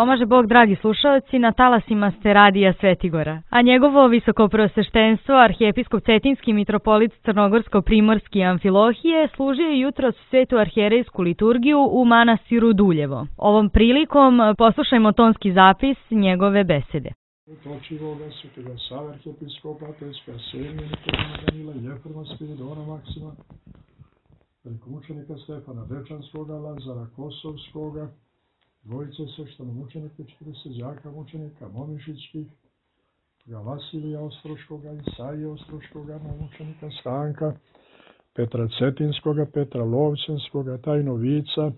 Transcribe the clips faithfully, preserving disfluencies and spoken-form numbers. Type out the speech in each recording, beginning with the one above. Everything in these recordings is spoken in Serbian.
Pomaže Bog, dragi slušaoci, na talasima ste radija Svetigora, a njegovo visokopreosveštenstvo, arhijepiskop Cetinski mitropolit Crnogorsko-Primorski Amfilohije, služio je jutros svetu arhijerejsku liturgiju u manastiru Duljevo. Ovom prilikom poslušajmo tonski zapis njegove besede. Točivoga, svetega Save, arhijepiskopa, Peska, Semija, Nikolina, Danila, Jefrema, Spiridona, Maksima, velikomučenika Stefana Dečanskoga, Lazara Kosovskoga, dvojice sveštenomučenika, četrdeset đaka mučenika Momišićkih, Vasilija Ostroškoga, Isaije Ostroškoga, mučenika Stanka, Petra Cetinskoga, Petra Lovćenskoga, Tajnovica,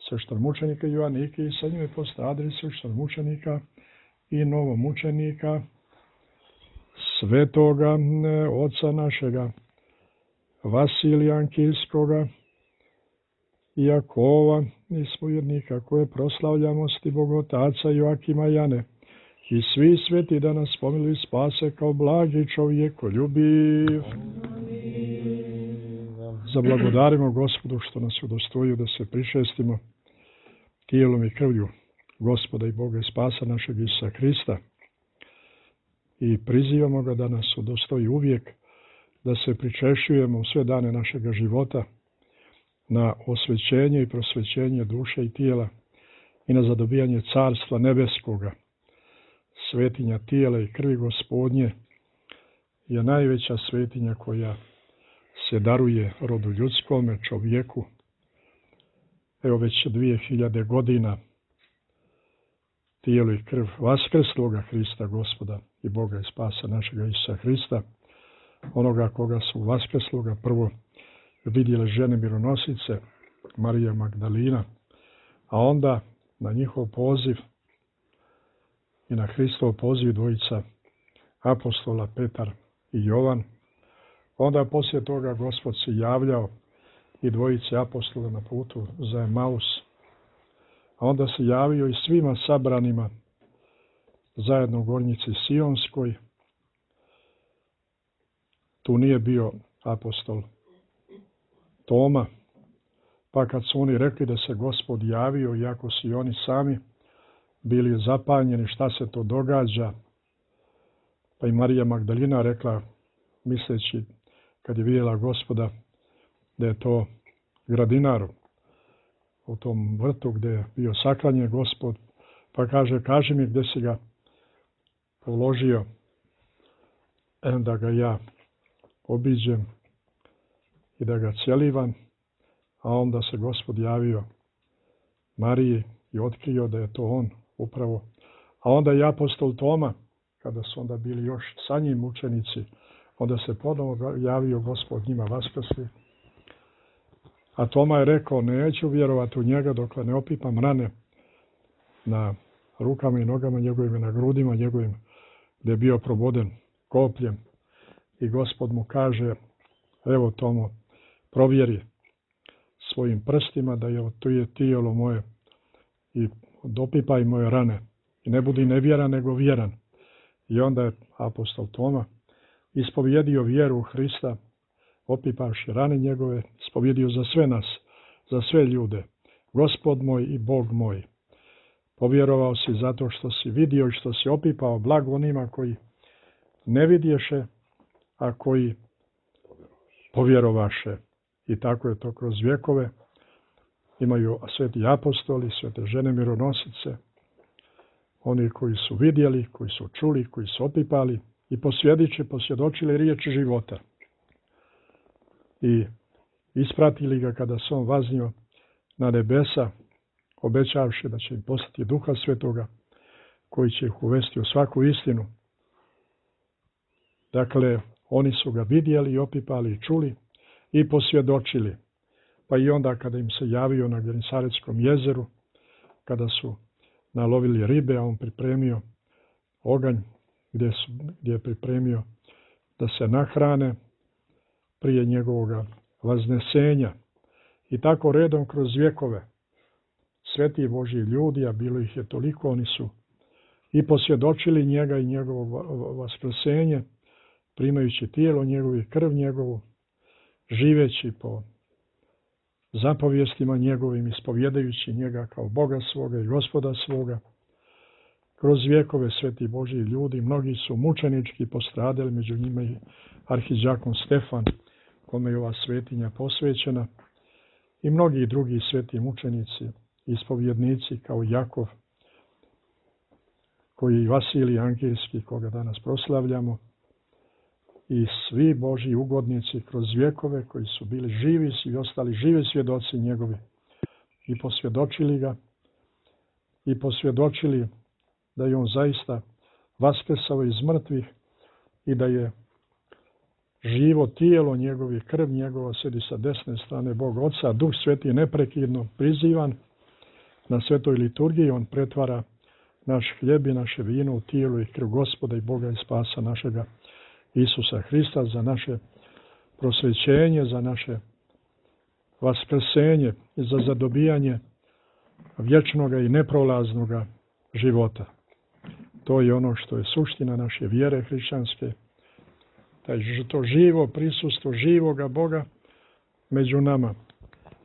sveštenomučenika Joanike i sa njime postadri sveštenomučenika i novomučenika svetoga oca našega Vasilija Ankijskoga, Jakova i spovednika koje proslavljamo sti Bogotaca Joakima Jane i svi sveti da nas pomiluju i spase kao blagi čovjekoljubiv. Zablagodarimo Gospodu što nas udostojio da se prišestimo tijelom i krvlju Gospoda i Boga i spasa našeg Isusa Hrista i prizivamo ga da nas udostoji uvijek da se pričešćujemo u sve dane našega života na osvećenje i prosvećenje duše i tijela i na zadobijanje carstva nebeskoga. Svetinja tijela i krvi Gospodnje je najveća svetinja koja se daruje rodu ljudskome, čovjeku. Evo već dvije hiljade godina tijelo i krv vaskrsloga Hrista Gospoda i Boga i spasa našega Isusa Hrista, onoga koga su vaskrsloga prvo vidjele žene mironosice, Marija Magdalina, a onda na njihov poziv i na Hristov poziv dvojica apostola Petar i Jovan. Onda poslije toga Gospod se javljao i dvojice apostola na putu za Emaus, a onda se javio i svima sabranima zajedno u Gornjici Sionskoj. Tu nije bio apostol Toma, pa kad su oni rekli da se Gospod javio, iako su i oni sami bili zapanjeni šta se to događa, pa i Marija Magdalina rekla, misleći kad je vidjela Gospoda da je to gradinar u tom vrtu gdje je bio saklanjen Gospod, pa kaže, kaži mi gdje si ga položio, da ga ja obiđem i da ga cjelivam, a onda se Gospod javio Mariji i otkrio da je to on upravo. A onda i apostol Toma, kada su onda bili još sa njim učenici, onda se ponovo javio Gospod njima vaskrsli. A Toma je rekao, neću vjerovati u njega dok ne opipam rane na rukama i nogama njegovim, na grudima njegovim, gdje je bio proboden kopljem. I Gospod mu kaže, evo Tomo, provjeri svojim prstima da je to je tijelo moje i dopipaj moje rane. I ne budi nevjeran nego vjeran. I onda je apostol Toma ispovjedio vjeru u Hrista, opipavši rane njegove, ispovjedio za sve nas, za sve ljude. Gospod moj i Bog moj. Povjerovao si zato što si vidio i što si opipao blago onima koji ne vidješe, a koji povjerovaše. I tako je to kroz vjekove. Imaju sveti apostoli, svete žene mironosice, oni koji su vidjeli, koji su čuli, koji su opipali i posvjedoče, posvjedočili riječ života. I ispratili ga kada se on vaznio na nebesa, obećavši da će im poslati Duha Svetoga, koji će ih uvesti u svaku istinu. Dakle, oni su ga vidjeli, opipali i čuli i posvjedočili. Pa i onda kada im se javio na Genesaretskom jezeru, kada su nalovili ribe, a on pripremio oganj gdje, su, gdje je pripremio da se nahrane prije njegovoga vaznesenja. I tako redom kroz vjekove sveti Božji ljudi, a bilo ih je toliko, oni su i posvjedočili njega i njegovo vaskrsenje, primajući tijelo njegovo i krv njegovu, živeći po zapovjestima njegovim, ispovjedajući njega kao Boga svoga i Gospoda svoga, kroz vjekove sveti Božji ljudi, mnogi su mučenički postradali, među njima i arhidžakon Stefan, kome je ova svetinja posvećena, i mnogi drugi sveti mučenici, ispovjednici kao Jakov, koji Vasilij Angejski, koga danas proslavljamo, i svi Božji ugodnici kroz vjekove koji su bili živi i ostali živi svjedoci njegovi i posvjedočili ga i posvjedočili da je on zaista vaskrsao iz mrtvih i da je živo tijelo njegovi, krv njegova sedi sa desne strane Boga Oca, Duh Sveti neprekidno prizivan na svetoj liturgiji, on pretvara naš hljeb i naše vino u tijelo i krv Gospoda i Boga i spasa našega Isusa Hrista, za naše prosvećenje, za naše vaskrsenje i za zadobijanje vječnoga i neprolaznoga života. To je ono što je suština naše vjere hrišćanske, to živo prisustvo živoga Boga među nama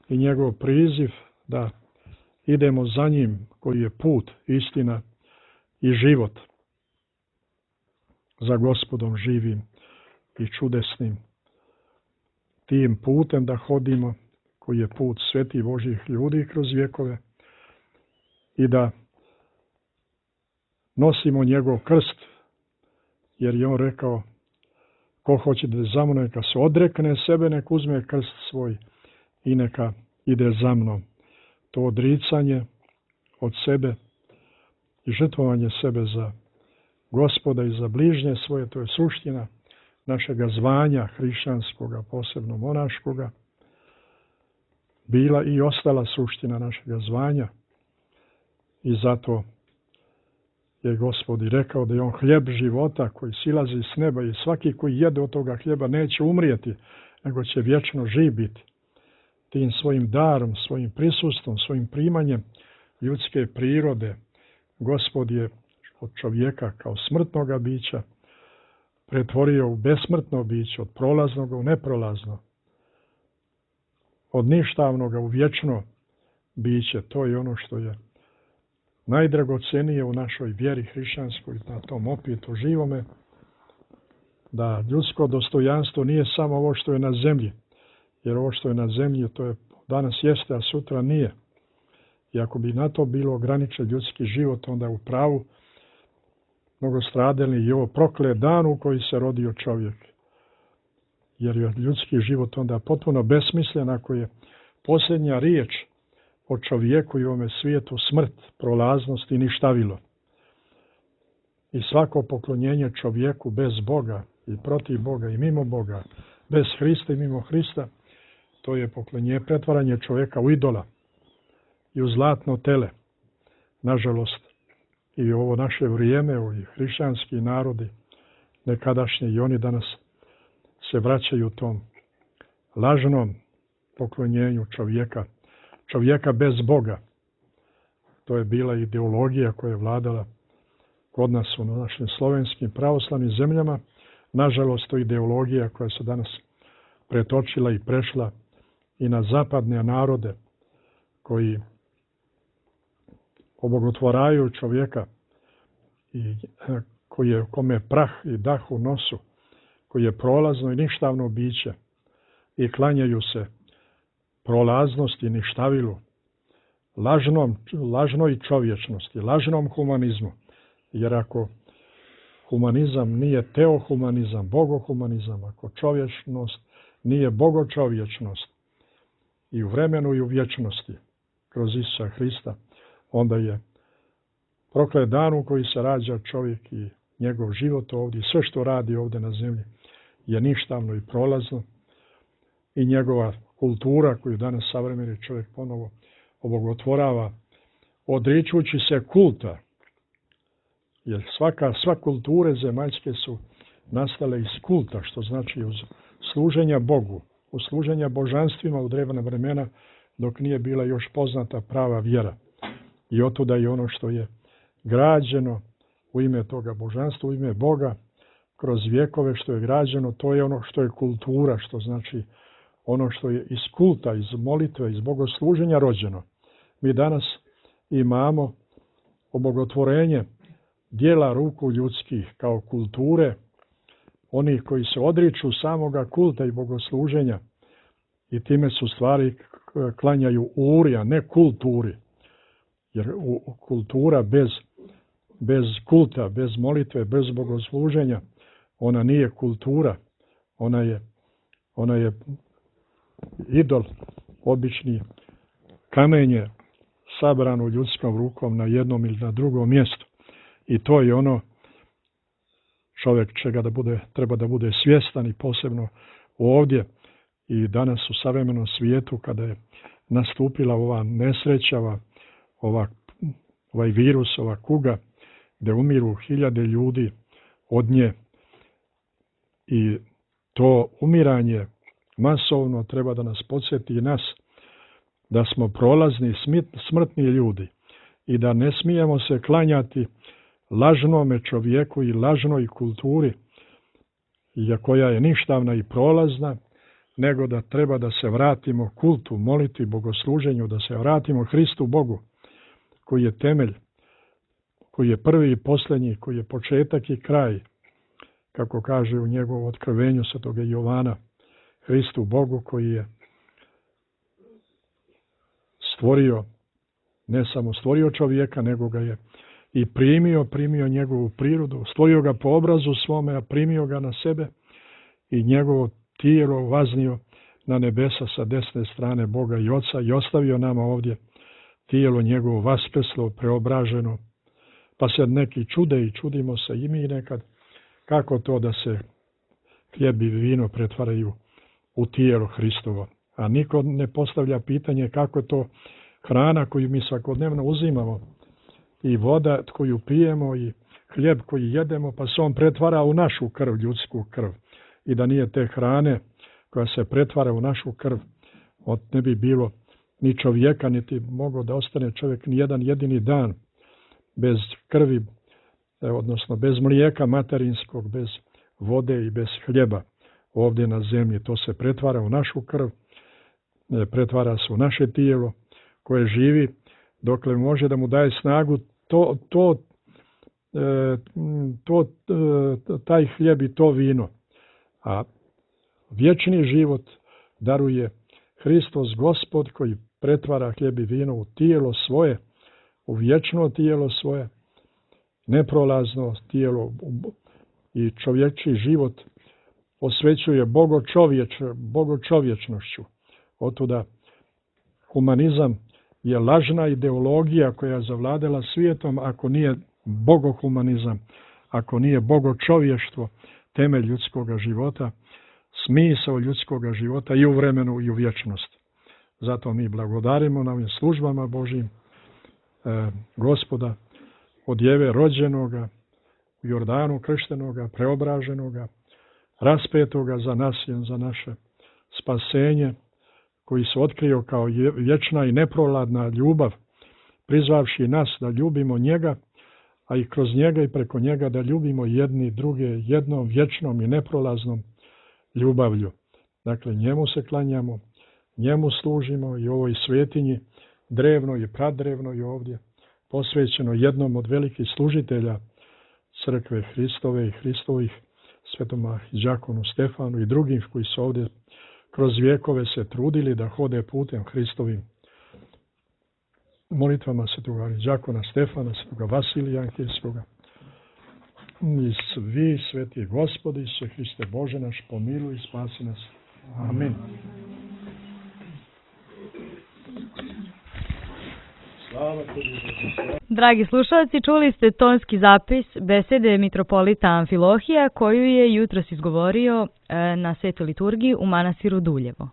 i njegov priziv da idemo za njim, koji je put, istina i život, za Gospodom živim i čudesnim. Tim putem da hodimo, koji je put svetih Božjih ljudi kroz vjekove, i da nosimo njegov krst, jer je on rekao: ko hoće da za mnom, neka se odrekne sebe, neka uzme krst svoj i neka ide za mnom. To odricanje od sebe i žrtvovanje sebe za Gospoda i za bližnje svoje, to je suština našega zvanja hrišćanskoga, posebno monaškoga, bila i ostala suština našega zvanja. I zato je Gospod i rekao da je on hljeb života koji silazi s neba i svaki koji jede od toga hljeba neće umrijeti, nego će vječno živ biti. Tim svojim darom, svojim prisustvom, svojim primanjem ljudske prirode, Gospod je od čovjeka kao smrtnoga bića pretvorio u besmrtno biće, od prolaznog u neprolazno, od ništavnoga u vječno biće. To je ono što je najdragocenije u našoj vjeri hrišćanskoj, na tom opitu živome, da ljudsko dostojanstvo nije samo ovo što je na zemlji, jer ovo što je na zemlji to je danas jeste, a sutra nije. I ako bi na to bilo ograničen ljudski život, onda u pravu mnogostradalni i ovo proklet dan u koji se rodio čovjek. Jer je ljudski život onda potpuno besmislen ako je posljednja riječ o čovjeku i ovome svijetu smrt, prolaznost i ništavilo. I svako poklonjenje čovjeku bez Boga i protiv Boga i mimo Boga, bez Hrista i mimo Hrista, to je poklonjenje, pretvaranje čovjeka u idola i u zlatno tele. Nažalost, i ovo naše vrijeme, ovi hrišćanski narodi, nekadašnji i oni danas se vraćaju tom lažnom poklonjenju čovjeka, čovjeka bez Boga. To je bila ideologija koja je vladala kod nas u našim slovenskim pravoslavnim zemljama. Nažalost, to je ideologija koja se danas pretočila i prešla i na zapadne narode koji obogotvaraju čovjeka i koji je, kome je prah i dah u nosu, koji je prolazno i ništavno biće i klanjaju se prolaznosti i ništavilu, lažnom, lažnoj čovječnosti, lažnom humanizmu. Jer ako humanizam nije teohumanizam, bogohumanizam, ako čovječnost nije bogočovječnost i u vremenu i u vječnosti kroz Isusa Hrista, onda je proklet dan u koji se rađa čovjek i njegov život ovdje, sve što radi ovdje na zemlji je ništavno i prolazno, i njegova kultura koju danas savremeni čovjek ponovo obogotvorava, odričući se kulta. Jer svaka, sva kulture zemaljske su nastale iz kulta, što znači uz služenja Bogu, uz služenja božanstvima u drevna vremena, dok nije bila još poznata prava vjera. I otuda je ono što je građeno u ime toga božanstva, u ime Boga, kroz vjekove što je građeno, to je ono što je kultura, što znači ono što je iz kulta, iz molitve, iz bogosluženja rođeno. Mi danas imamo obogotvorenje dijela ruku ljudskih, kao kulture, onih koji se odriču samoga kulta i bogosluženja i time su stvari klanjaju uri, a ne kulturi. Jer kultura bez, bez kulta, bez molitve, bez bogosluženja, ona nije kultura. Ona je, ona je idol, obični kamenje sabrano ljudskom rukom na jednom ili na drugom mjestu. I to je ono čovjek čega da bude, treba da bude svjestan i posebno ovdje i danas u savremenom svijetu kada je nastupila ova nesreća, ova, ova, ovaj virus, ova kuga gdje umiru hiljade ljudi od nje i to umiranje masovno treba da nas podsjeti i nas da smo prolazni smrtni ljudi i da ne smijemo se klanjati lažnome čovjeku i lažnoj kulturi koja je ništavna i prolazna, nego da treba da se vratimo kultu, moliti, bogosluženju, da se vratimo Hristu Bogu, koji je temelj, koji je prvi i posljednji, koji je početak i kraj, kako kaže u njegovom otkrivenju svetoga Jovana, Hristu Bogu koji je stvorio, ne samo stvorio čovjeka, nego ga je i primio, primio njegovu prirodu, stvorio ga po obrazu svome, a primio ga na sebe i njegovo tijelo vaznio na nebesa sa desne strane Boga i Oca i ostavio nama ovdje tijelo njegovo vaskrslo, preobraženo. Pa se neki čude i čudimo se i mi nekad kako to da se hljeb i vino pretvaraju u tijelo Hristovo. A niko ne postavlja pitanje kako je to hrana koju mi svakodnevno uzimamo i voda koju pijemo i hljeb koji jedemo, pa se on pretvara u našu krv, ljudsku krv. I da nije te hrane koja se pretvara u našu krv, ne bi bilo ni čovjeka, niti mogao da ostane čovjek ni jedan jedini dan bez krvi, odnosno bez mlijeka materinskog, bez vode i bez hljeba ovdje na zemlji. To se pretvara u našu krv, pretvara se u naše tijelo koje živi, dokle može da mu daje snagu to, to, to, taj hljeb i to vino. A vječni život daruje Hristos Gospod koji pretvara hljeb i vino u tijelo svoje, u vječno tijelo svoje, neprolazno tijelo i čovječji život osvećuje bogočovječ, bogočovječnošću. Otuda humanizam je lažna ideologija koja je zavladala svijetom ako nije bogohumanizam, ako nije bogočovještvo, temelj ljudskog života, smisao ljudskog života i u vremenu i u vječnosti. Zato mi blagodarimo na ovim službama Božjim e, Gospoda od Jeve rođenoga, u Jordanu krštenoga, preobraženoga, raspetoga za nas i za naše spasenje, koji se otkrio kao vječna i neproladna ljubav, prizvavši nas da ljubimo njega, a i kroz njega i preko njega da ljubimo jedni druge jednom vječnom i neprolaznom ljubavlju. Dakle, njemu se klanjamo, njemu služimo i ovoj svetinji, drevno i pradrevno i ovdje, posvećeno jednom od velikih služitelja crkve Hristove i Hristovih, svetom arhidijakonu Stefanu i drugim koji su ovdje kroz vjekove se trudili da hode putem Hristovim molitvama svetog arhidijakona Stefana, svetog Vasilija Anhirskoga. I svi sveti Gospodi, Isuse Hriste Bože naš, pomiluj i spasi nas. Amin. Dragi slušalci, čuli ste tonski zapis besede mitropolita Amfilohija koju je jutros izgovorio na svetoj liturgiji u manastiru Duljevo.